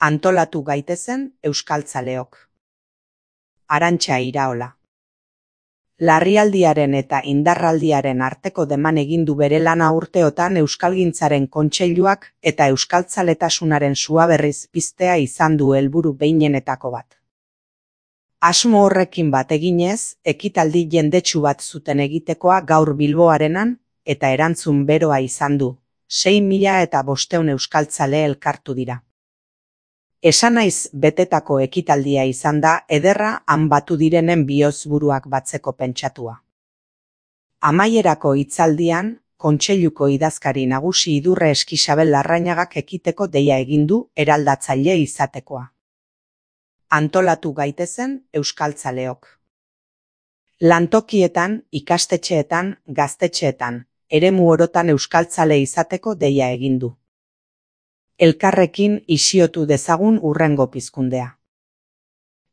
Antolatu gaitezen euskaltzaleok. Arantxa Iraola. Larrialdiaren eta indarraldiaren arteko deman egin du bere lana urteotan Euskalgintzaren Kontseiluak eta euskaltzaletasunaren sua berriz piztea izan du helburu behinenetako bat. Asmo horrekin bat eginez, ekitaldi jendetsu bat zuten egitekoa gaur Bilbo Arenan, eta erantzun beroa izan du. 6.500 euskaltzale elkartu dira. Esan naiz betetako ekitaldia izan da ederra han batu direnen bihozburuak batzeko pentsatua. Amaierako hitzaldian, Kontseiluko idazkari nagusi Idurre Eskixabel Larrañagak ekiteko deia egin du eraldatzaile izatekoa. Antolatu gaitezen euskaltzaleok. Lantokietan, ikastetxeetan, gaztetxeetan, eremu orotan euskaltzale izateko deia egin du. Elkarrekin isiotu dezagun hurrengo pizkundea.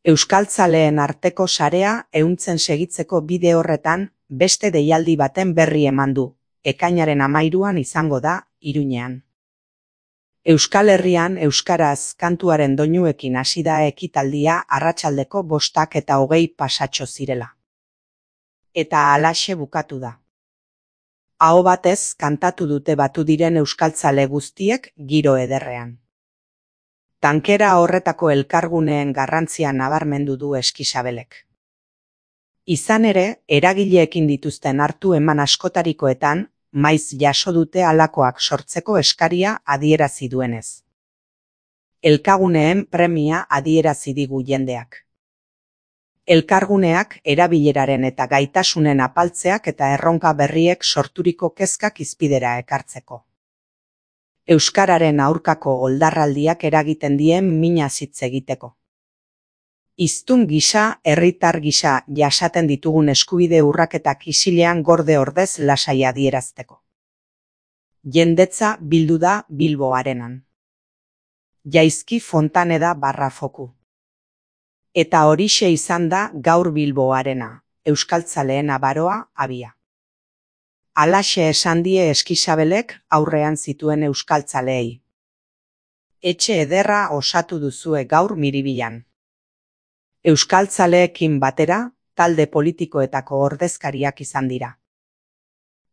Euskaltzaleen arteko sarea ehuntzen segitzeko bide horretan beste deialdi baten berri eman du, ekainaren 13an izango da, Iruñean. Euskal Herrian euskaraz kantuaren doinuekin hasi da ekitaldia arratsaldeko 5:20 pasatxo zirela. Eta halaxe bukatu da. Aho batez kantatu dute batu diren euskaltzale guztiek giro ederrean. Tankera horretako elkarguneen garrantzia nabarmendu du Eskixabelek. Izan ere, eragileekin dituzten hartu eman askotarikoetan, maiz jaso dute halakoak sortzeko eskaria adierazi duenez. Elkarguneen premia adierazi digu jendeak. Elkarguneak erabileraren eta gaitasunen apaltzeak eta erronka berriek sorturiko kezkak hizpidera ekartzeko. Euskararen aurkako oldarraldiak eragiten dien mina hitz egiteko. Hiztun gisa, herritar gisa jasaten ditugun eskubide urraketak isilean gorde ordez lasai adierazteko. Jendetza bildu da Bilbo Arenan. Jaizki Fontaneda /Foku. Eta horixe izan da gaur Bilbo Arena, euskaltzaleen abaroa abia. Halaxe esan die Eskixabelek aurrean zituen euskaltzaleei. Etxe ederra osatu duzue gaur Miribilan. Euskaltzaleekin batera, talde politikoetako ordezkariak izan dira.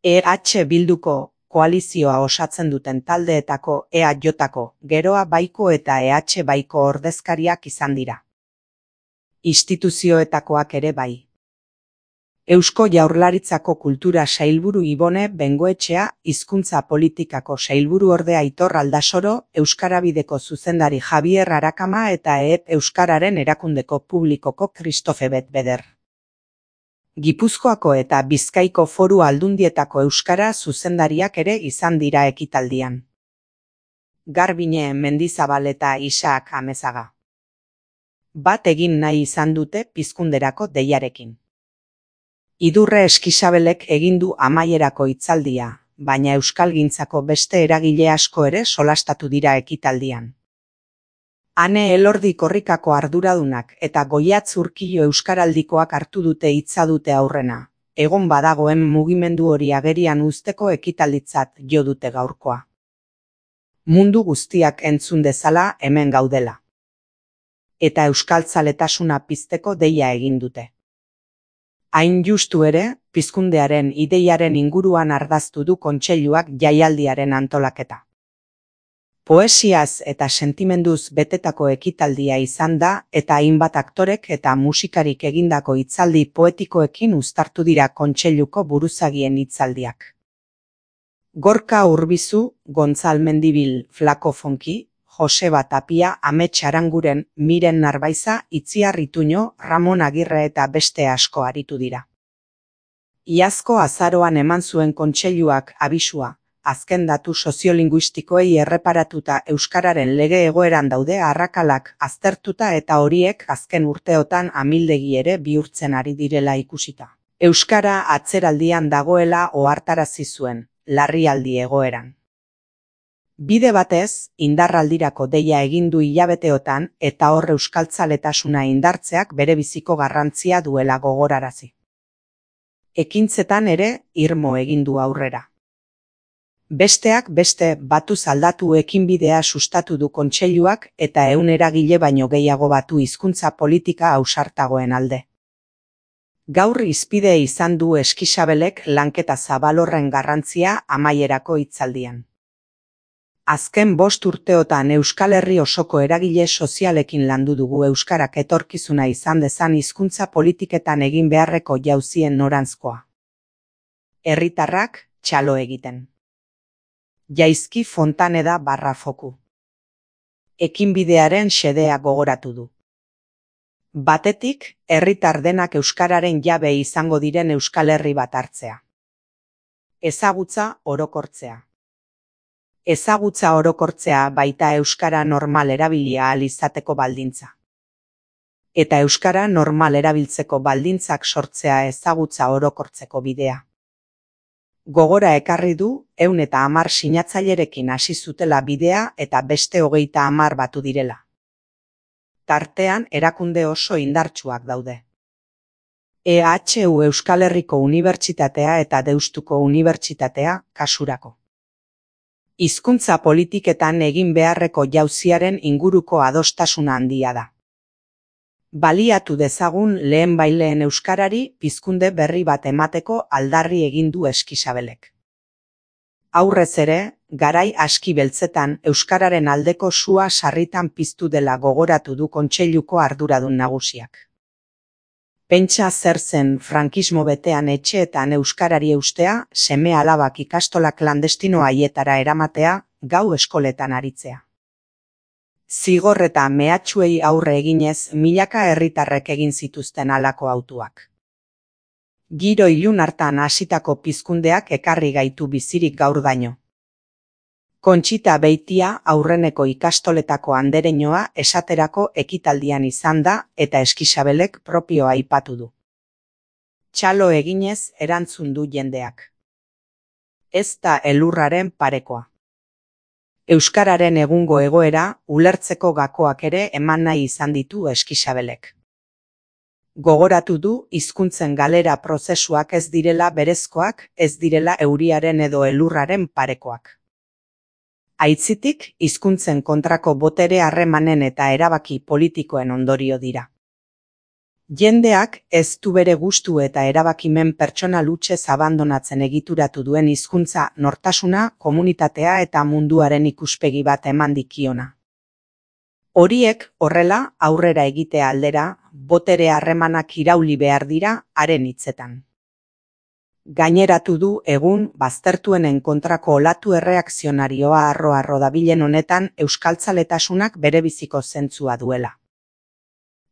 EH Bilduko koalizioa osatzen duten taldeetako EAJ-ko, Geroa Baiko eta EH Baiko ordezkariak izan dira. Instituzioetakoak ere bai. Eusko Jaurlaritzako Kultura Sailburu Ibone Bengoetxea, Hizkuntza Politikako Sailburuordea Aitor Aldasoro, Euskarabideko zuzendari Javier Arakama eta EEP Euskararen erakundeko publikoko Christophe Betbeder. Gipuzkoako eta Bizkaiko Foru Aldundietako euskara zuzendariak ere izan dira ekitaldian. Garbine Mendizabal eta Isaac Amezaga. Bat egin nahi izan dute pizkunderako deiarekin. Idurre Eskixabelek egin du amaierako hitzaldia, baina euskalgintzako beste eragile asko ere solastatu dira ekitaldian. Ane Elordi Korrikako arduradunak eta Goiatz Urkillo euskaraldikoak hartu dute hitza dute aurrena. Egon badagoen mugimendu hori agerian uzteko ekitalditzat jo dute gaurkoa. Mundu guztiak entzun dezala hemen gaudela. Eta euskaltzaletasuna pizteko deia egin dute. Hain justu ere, pizkundearen ideiaren inguruan ardaztu du Kontseiluak jaialdiaren antolaketa. Poesiaz eta sentimenduz betetako ekitaldia izan da eta hainbat aktorek eta musikarik egindako hitzaldi poetikoekin uztartu dira Kontseiluko buruzagien hitzaldiak. Gorka Urbizu, Gontzal Mendibil, Flako Fonki, Joseba Tapia, Amets Aranguren, Miren Narbaiza, Itziar Ituño, Ramon Agirre eta beste asko aritu dira. Iazko azaroan eman zuen Kontseiluak abisua, azken datu soziolinguistikoei erreparatuta euskararen lege egoeran daude arrakalak aztertuta eta horiek azken urteotan amildegi ere bihurtzen ari direla ikusita. Euskara atzeraldian dagoela ohartarazi zuen, larrialdi egoeran. Bide batez, indarraldirako deia egin du hilabeteotan eta hor euskaltzaletasuna indartzeak bere biziko garrantzia duela gogorarazi. Ekintzetan ere irmo egin du aurrera. Besteak beste batuz aldatu ekinbidea sustatu du kontseiluak eta 100 eragile baino gehiago batu hizkuntza politika ausartagoen alde. Gaur hizpide izan du Eskixabelek lanketa zabal horren garrantzia amaierako hitzaldian. Azken 5 urteotan Euskal Herri osoko eragile sozialekin landu dugu euskarak etorkizuna izan dezan hizkuntza politiketan egin beharreko jauzien noranzkoa. Herritarrak txalo egiten. Jaizki Fontaneda Barrafoku. Ekinbidearen xedea gogoratu du. Batetik, herritar denak euskararen jabe izango diren Euskal Herri bat hartzea. Ezagutza orokortzea. Ezagutza orokortzea baita euskara normal erabilia ahal izateko baldintza. Eta euskara normal erabiltzeko baldintzak sortzea ezagutza orokortzeko bidea. Gogora ekarri du 110 sinatzailerekin hasi zutela bidea eta beste 30 batu direla. Tartean erakunde oso indartsuak daude. EHU Euskal Herriko Unibertsitatea eta Deustuko Unibertsitatea kasurako. Hizkuntza politiketan egin beharreko jauziaren inguruko adostasuna handia da. Baliatu dezagun lehenbailehen euskarari pizkunde berri bat emateko aldarri egin du Eskixabelek. Aurrez ere, garai aski beltzetan euskararen aldeko sua sarritan piztu dela gogoratu du kontseiluko arduradun nagusiak. Pentsa zer zen frankismo betean etxeetan euskarari eustea, seme-alabak ikastola klandestino haietara eramatea, gau eskoletan aritzea. Zigor eta mehatxuei aurre eginez milaka herritarrek egin zituzten halako hautuak. Giro ilun hartan hasitako pizkundeak ekarri gaitu bizirik gaurdaino. Kontxita Beitia aurreneko ikastoletako andereñoa esaterako ekitaldian izan da eta Eskixabelek propioa aipatu du. Txalo eginez erantzun du jendeak. Ez da elurraren parekoa. Euskararen egungo egoera ulertzeko gakoak ere eman nahi izan ditu Eskixabelek. Gogoratu du hizkuntzen galera prozesuak ez direla berezkoak, ez direla euriaren edo elurraren parekoak. Aitzitik, hizkuntzen kontrako botere harremanen eta erabaki politikoen ondorio dira. Jendeak ez du bere gustu eta erabakimen pertsonal hutsez abandonatzen egituratu duen hizkuntza nortasuna, komunitatea eta munduaren ikuspegi bat eman dikiona. Horiek horrela aurrera egitea aldera, botere harremanak irauli behar dira haren hitzetan. Gaineratu du egun baztertuenen kontrako olatu erreakzionarioa harro-harro dabilen honetan euskaltzaletasunak berebiziko zentzua duela.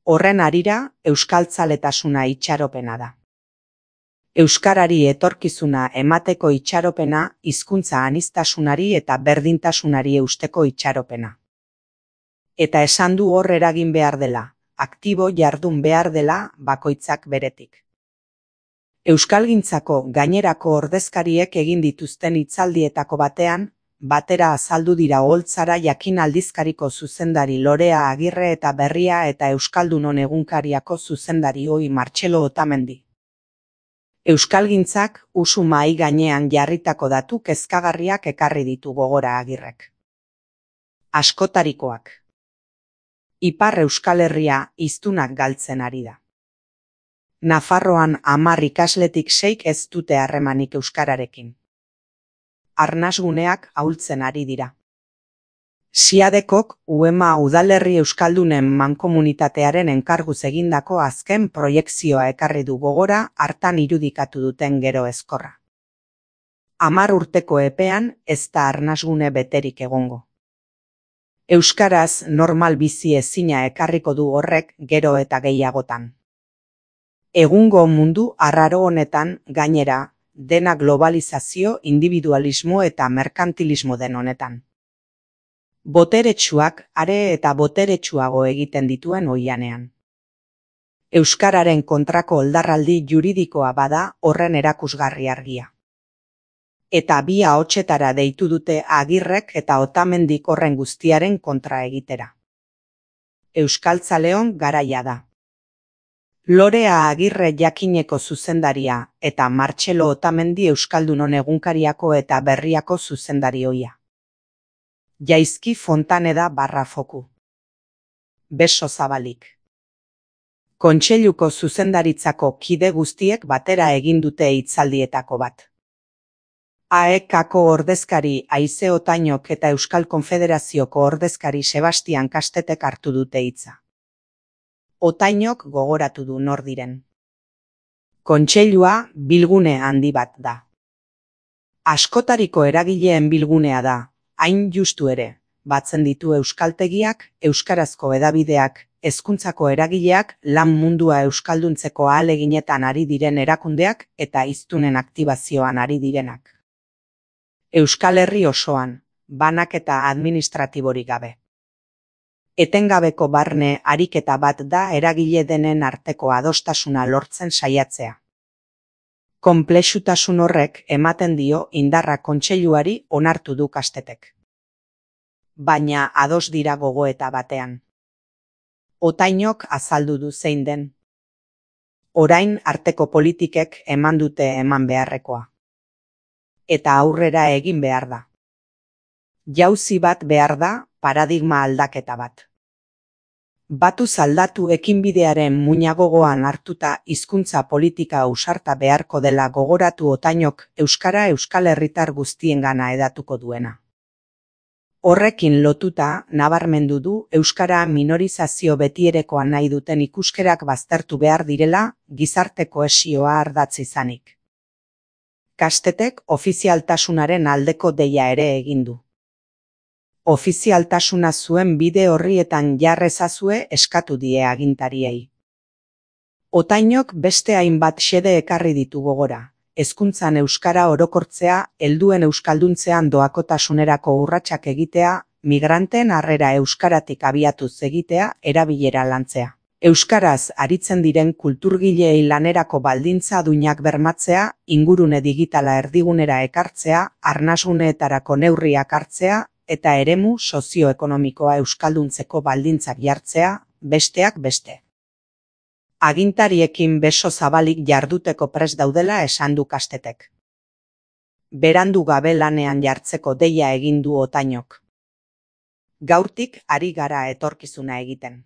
Horren harira, euskaltzaletasuna itxaropena da. Euskarari etorkizuna emateko itxaropena, hizkuntza aniztasunari eta berdintasunari eusteko itxaropena. Eta esan du hor eragin behar dela, aktibo jardun behar dela bakoitzak beretik. Euskalgintzako gainerako ordezkariek egin dituzten hitzaldietako batean, batera azaldu dira Oholtzara Jakin aldizkariko zuzendari Lorea Agirre eta Berria eta Euskaldunon egunkariako zuzendari Oi Martxelo Otamendi. Euskalgintzak usu mahai gainean jarritako datu kezkagarriak ekarri ditu gogora Agirrek. Askotarikoak. Ipar Euskal Herria hiztunak galtzen ari da. Nafarroan 10 ikasletik 6 ez dute harremanik euskararekin. Arnasguneak ahultzen ari dira. Siadekok UEMA udalerri euskaldunen mankomunitatearen enkarguz egindako azken proiekzioa ekarri du gogora hartan irudikatu duten gero ezkorra. 10 urteko epean ez da arnasgune beterik egongo. Euskaraz normal bizi ezina ekarriko du horrek gero eta gehiagotan. Egungo mundu arraro honetan gainera, dena globalizazio, individualismo eta merkantilismo den honetan. Boteretsuak are eta boteretsuago egiten dituen oihanean. Euskararen kontrako oldarraldi juridikoa bada horren erakusgarri argia. Eta bi ahotsetara deitu dute Agirrek eta Otamendik horren guztiaren kontra egitera. Euskaltzaleon garaia da. Lorea Agirre Jakineko zuzendaria eta Martxelo Otamendi Euskaldunon egunkariako eta berriako zuzendari ohia. Jaizki Fontaneda /Foku. Beso zabalik. Kontseiluko zuzendaritzako kide guztiek batera egin dute hitzaldietako bat. AEKako ordezkari Haize Otainok eta Euskal Konfederazioko ordezkari Sebastian Kastetek hartu dute hitza. Otainok gogoratu du nor diren. Kontseilua bilgune handi bat da. Askotariko eragileen bilgunea da, hain justu ere, batzen ditu euskaltegiak, euskarazko hedabideak, hezkuntzako eragileak, lan mundua euskalduntzeko ahaleginetan ari diren erakundeak eta hiztunen aktibazioan ari direnak. Euskal Herri osoan, banaketa administratiborik gabe. Etengabeko barne ariketa bat da eragile denen arteko adostasuna lortzen saiatzea. Konplexutasun horrek ematen dio indarra kontseiluari onartu du Kastetek. Baina ados dira gogoeta batean. Otainok azaldu du zein den. Orain arteko politikek eman dute eman beharrekoa. Eta aurrera egin behar da. Jauzi bat behar da, paradigma aldaketa bat. Batuz aldatu ekinbidearen muina gogoan hartuta hizkuntza politika ausarta beharko dela gogoratu Otainok euskara Euskal Herritar guztiengana hedatuko duena. Horrekin lotuta nabarmendu du euskara minorizazio betierekoa nahi duten ikuskerak baztertu behar direla gizarte kohesioa ardatz izanik. Kastetek ofizialtasunaren aldeko deia ere egin du. Ofizialtasuna zuen bide horrietan jarrezazue eskatu die agintariei. Otainok beste hainbat xede ekarri ditu gogora. Hezkuntzan euskara orokortzea, helduen euskalduntzean doakotasunerako urratsak egitea, migranteen harrera euskaratik abiatuz egitea, erabilera lantzea. Euskaraz aritzen diren kulturgileei lanerako baldintza duinak bermatzea, ingurune digitala erdigunera ekartzea, arnasguneetarako neurriak hartzea, eta eremu sozioekonomikoa euskalduntzeko baldintzak jartzea, besteak beste. Agintariekin beso zabalik jarduteko prest daudela esan du Kastetek. Berandu gabe lanean jartzeko deia egin du Otainok. Gaurtik ari gara etorkizuna egiten.